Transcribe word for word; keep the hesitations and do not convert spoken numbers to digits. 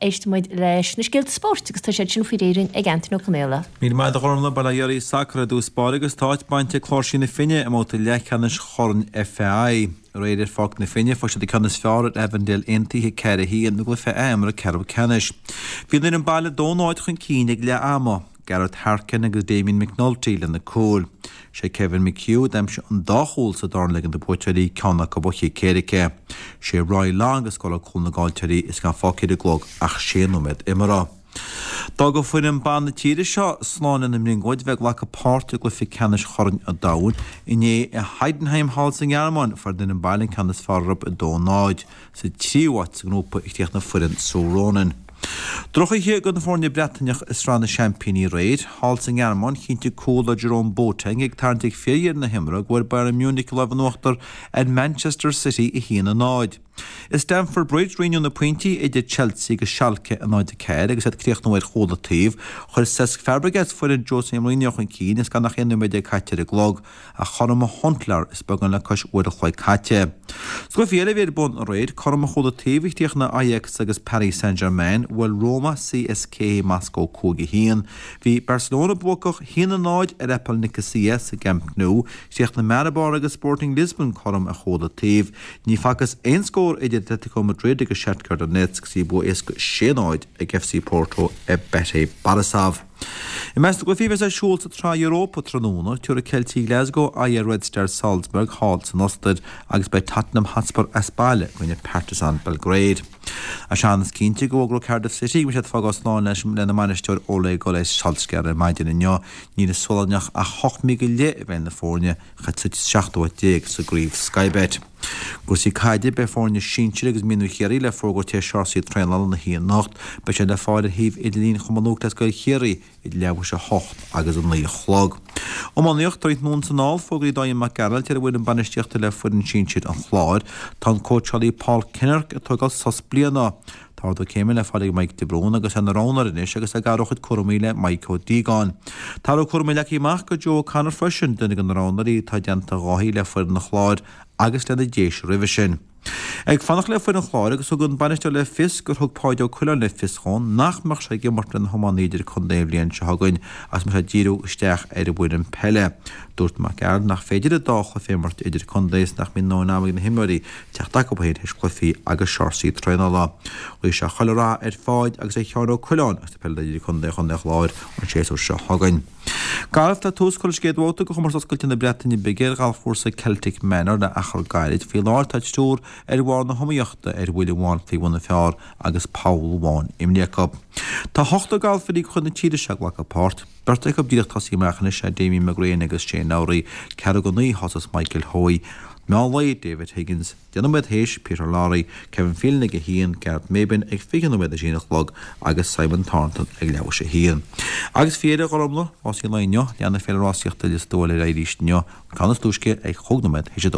éistfidh muid leis na scéalta spóirt agus tá siad sin faoi réir ag Anthony Ó Conaola. Míle maith agat a Ghormfhlaith. Bail ó Dhia oraibh. Sacar i dtús báire agus tá áit bainte ag Cláirsí na Finne i mbabhta leathcheannais Chorn FAI. Aréir ar Pháirc na Finne fuair siad an ceann is fearr ar Avondale Aontaithe ceathair a haon i gcluiche ath-imeartha ceathrú ceannais. Bhí an fhoireann baile dó náid chun cinn ag leath ama. Gareth Harkin agus Damien McNulty lena cúil. Sé Kevin McHugh a d'aimsigh an dá chúl sa darna leagan do buaiteoirí ceann acu ó chic éirice. Sé Roy Long a scóráil cúl na gcaillteoirí is gan fágtha ar an gclog ach sé nóiméad imeartha. D'fhág foireann ban na tíre seo slán lena mbrionglóid bheith ag glacadh páirt i gcluiche ceannais Chorn an Domhain inné i Heidenheim thall sa nGearmáin. Fuair an fhoireann baile an ceann is fearr orthu a dó náid. Sa tríú háit sa ngrúpa a chríochnaigh foireann Sue Ronan. Drochoíche do na foirne Breataineach i Sraith na Seaimpíní aréir. Thall sa nGearmáin, chinntigh cúl le Jerome Boateng ag tarraingt ag fíordheireadh na himeartha go bhfuair Bayern Munich an lámh in uachtar ar Manchester City a haon a náid. I Stamford Bridge, roinneadh na pointí idir Chelsea agus Schalke a náid a ceathair agus iad ag críochnú ar chúl an taobh. Chuir Cesc Fabregas foireann Jose Mourinho chun cinn is gan ach aon nóiméad déag caite ar an gclog. Ach chothromaigh Huntelaar is beagán le cois uair an chloig caite. Sna cluichí eile a bhí ar bun aréir, cothrom ar chúl an taobh a chríochnaigh Ajax agus Paris Saint-Germain, bhuail Roma CSKA Moscow cúig a haon. Bhí Barcelona buacach a haon a náid ar Apoel Nicosia sa gCamp Nou, chríochnaigh Maribor agus Sporting Lisbon cothrom ar chúl an taobh. Ní facthas aon scór idir Atletico Madrid agus Shakhtar Donetsk agus bhí bua éasca sé a náid ag F C Porto ar Bate Borisov. I measc na gcluichí a bheas ar siúl sa tSraith Europa tráthnóna, tabharfaidh Ceiltigh Glasgow aghaidh ar Red Star Salzburg thall san Ostair agus beidh Tottenham Hotspur as baile i gcoinne Partizan Belgrade. Sea, is cinnte go bhfógróidh Cardiff City go mbeidh siad ag fágáil slán leis lena mbainisteoir Ole Gunnar Solskjaer ar maidin inniu. Níl i Sualannach ach ocht mí go leith i bhfeighil na foirne, suite sa seachtú háit déag sa gcraobh Sky Bet. Cúrsaí caide, beidh foirne sinsir agus mionúir Chiarraí le fógairt tar éis searsaí traenála na hoíche anocht. Beidh sé le fáil ar shuíomh idirlín Chumann Lúthchleas Gael Chiarraí idir leathuair tar éis a hocht agus a naoi a chlog. Iománaíocht, tarraingt anonn is anall, fógraithe Dáithí Mac Gearailt ar an bhfoireann bainistíochta le foireann sinsir an Chláir. Tá an cóitseálaí Paul Kinnerk ag tógáil sos bliana. Tá ardú céime le fáil ag Mike de Brún agus é ina roghnóir anois agus é ag athrú a chuid cúraimí le Mike Ó Díogáin. Tá athrú cúraimí leagtha amach do Joe O'Connor freisin, duine de na roghnóirí atá i dteannta Dháithí le foireann an Chláir agus lena Déise roimhe sin. Ag fanacht le foireann an Chláir agus thug an bainisteoir le fios gur thug Páidí Ó Coileáin le fios dhó nach mbeadh sé ag imirt lena hiománaí idir-chontae an bhliain seo chugainn agus mbeadh sé ag díriú isteach ar an bhfoireann peile. Dúirt Mac Gearailt nach féidir an dá chluiche a imirt idir-chontae is nach mbíonn a ndóthain ama ag na himreoirí teacht acu féin théis cluichí agus searsaí traenála. Ghuigh sé chuile rath ar Pháid agus ar Sheán Ó Coileáin agus na peileadóirí idir-chontae Chontae an Chláir an séasúr seo chugainn. Galf, Tá tús curtha leis an gcéad bhabhta de chomórtas oscailte na Breataine Bige ar ghalfchúrsa Celtic Manor le achar gairid. Faoi láthair tá triúr ar bharr na hiomaíochta ar bhuille amháin faoi bhun an phar agus poll amháin imeartha acu. Tá ochtar galfairí de chuid na tíre seo ag glacadh páirt. Beirt acu díreach tosaithe amach anois, Damien McGrane agus Shane Lowry, ceathrú go naoi thosós Michael Hoey. Meán lae, David Higgins, deich nóiméad théis, Peter Lawrie, Kevin Phelan ag a haon, Gareth Maybin ag fiche nóiméad théis a haon a chlog agus Simon Thornton ag leathuair théis a haon. Agus faoi dheireadh a Ghormfhlaith, rásaí an lae inniu, leanfaidh Féile Rásaíochta Lios Tuathail ar aghaidh arís inniu, an ceann is túisce ag chúig nóiméad théis a dó.